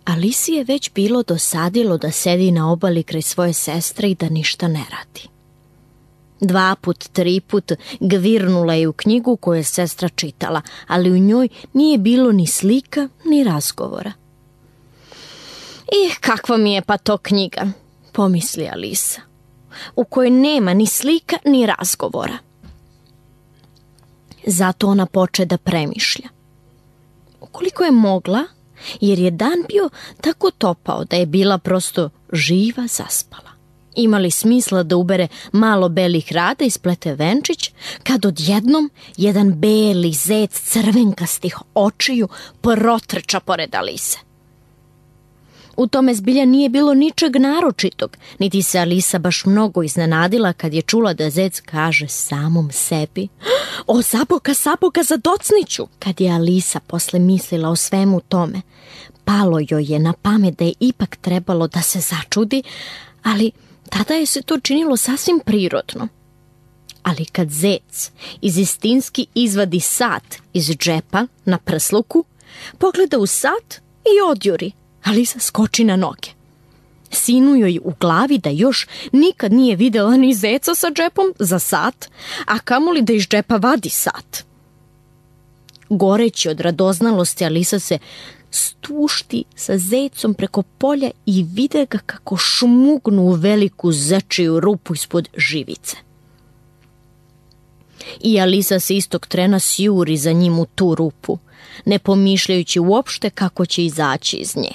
Alisi je već bilo dosadilo da sedi na obali kraj svoje sestre i da ništa ne radi. 2 put, 3 put gvirnula je u knjigu koju je sestra čitala, ali u njoj nije bilo ni slika, ni razgovora. Kakva mi je pa to knjiga, pomisli Alisa, u kojoj nema ni slika, ni razgovora. Zato ona poče da premišlja. Ukoliko je mogla, jer je dan bio tako topao da je bila prosto živa zaspala. Imali smisla da ubere malo belih rada i splete venčić, kad odjednom jedan beli zec crvenkastih očiju protrča pored Alise. U tome zbilja nije bilo ničeg naročitog, niti se Alisa baš mnogo iznenadila kad je čula da zec kaže samom sebi: "O, Saboka, zadocniću!" Kad je Alisa posle mislila o svemu tome, palo joj je na pamet da je ipak trebalo da se začudi, ali tada je se to činilo sasvim prirodno. Ali kad zec izistinski izvadi sat iz džepa na prsluku, pogleda u sat i odjuri, Alisa skoči na noge. Sinu joj u glavi da još nikad nije videla ni zeca sa džepom za sat, a kamoli da iz džepa vadi sat. Goreći od radoznalosti, Alisa se stušti sa zecom preko polja i vide ga kako šmugnu u veliku zečiju rupu ispod živice. I Alisa se istog trena sjuri za njim u tu rupu, ne pomišljajući uopšte kako će izaći iz nje.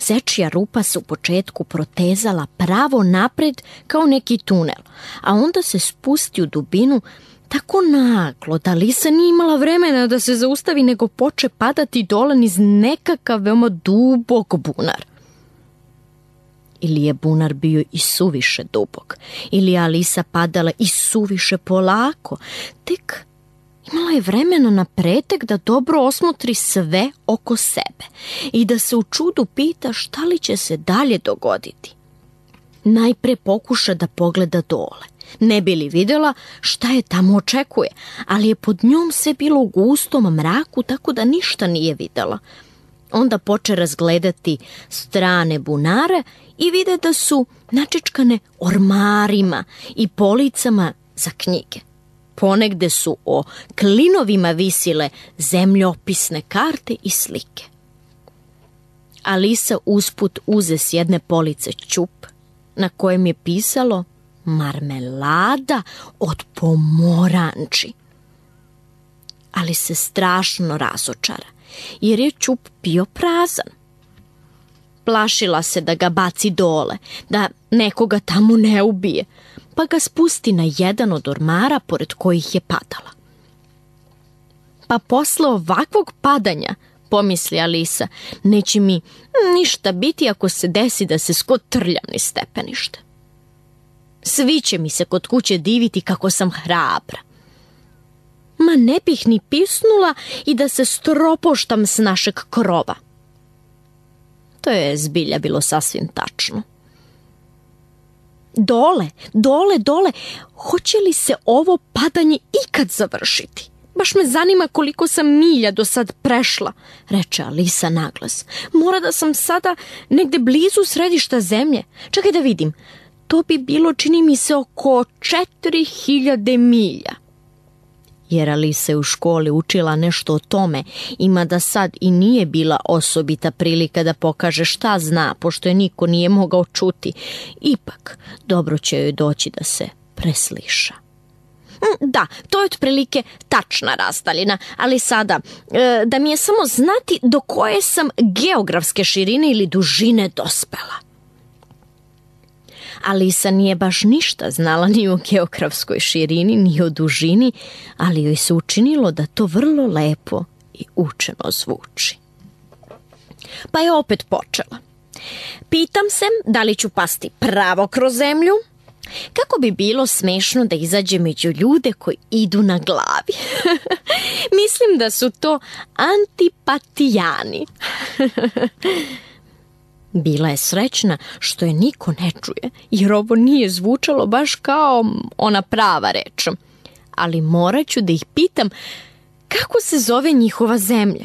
Zečija rupa se u početku protezala pravo napred kao neki tunel, a onda se spusti u dubinu tako naglo da Alisa nije imala vremena da se zaustavi, nego poče padati dole niz nekakav veoma dubok bunar. Ili je bunar bio i suviše dubok, ili je Alisa padala i suviše polako, tek imala je vremena na pretek da dobro osmotri sve oko sebe i da se u čudu pita šta li će se dalje dogoditi. Najpre pokuša da pogleda dole, ne bi li vidjela šta je tamo očekuje, ali je pod njom sve bilo u gustom mraku, tako da ništa nije vidjela. Onda poče razgledati strane bunare i vide da su načičkane ormarima i policama za knjige. Ponegde su o klinovima visile zemljopisne karte i slike. Alisa usput uze s jedne police ćup na kojem je pisalo marmelada od pomoranči. Ali se strašno razočara, jer je ćup bio prazan. Plašila se da ga baci dole, da nekoga tamo ne ubije, pa ga spusti na jedan od ormara pored kojih je padala. Pa posle ovakvog padanja, pomisli Alisa, neće mi ništa biti ako se desi da se skotrljam niz stepenište. Svi će mi se kod kuće diviti kako sam hrabra. Ma ne bih ni pisnula i da se stropoštam s našeg krova. To je zbilja bilo sasvim tačno. Dole, hoće li se ovo padanje ikad završiti? Baš me zanima koliko sam milja do sad prešla, reče Alisa naglas. Mora da sam sada negde blizu središta zemlje. Čekaj da vidim, to bi bilo, čini mi se, oko 4000 milja. Jer Alisa je u školi učila nešto o tome, ima da sad i nije bila osobita prilika da pokaže šta zna, pošto je niko nije mogao čuti. Ipak, dobro će joj doći da se presliša. Da, to je otprilike tačna razdaljina, ali sada, da mi je samo znati do koje sam geografske širine ili dužine dospela. Alisa nije baš ništa znala ni o geografskoj širini, ni o dužini, ali joj se učinilo da to vrlo lepo i učeno zvuči. Pa je opet počela. Pitam se da li ću pasti pravo kroz zemlju, kako bi bilo smešno da izađe među ljude koji idu na glavi. Mislim da su to antipatijani. Bila je srećna što je niko ne čuje, jer ovo nije zvučalo baš kao ona prava reč. Ali morat ću da ih pitam kako se zove njihova zemlja.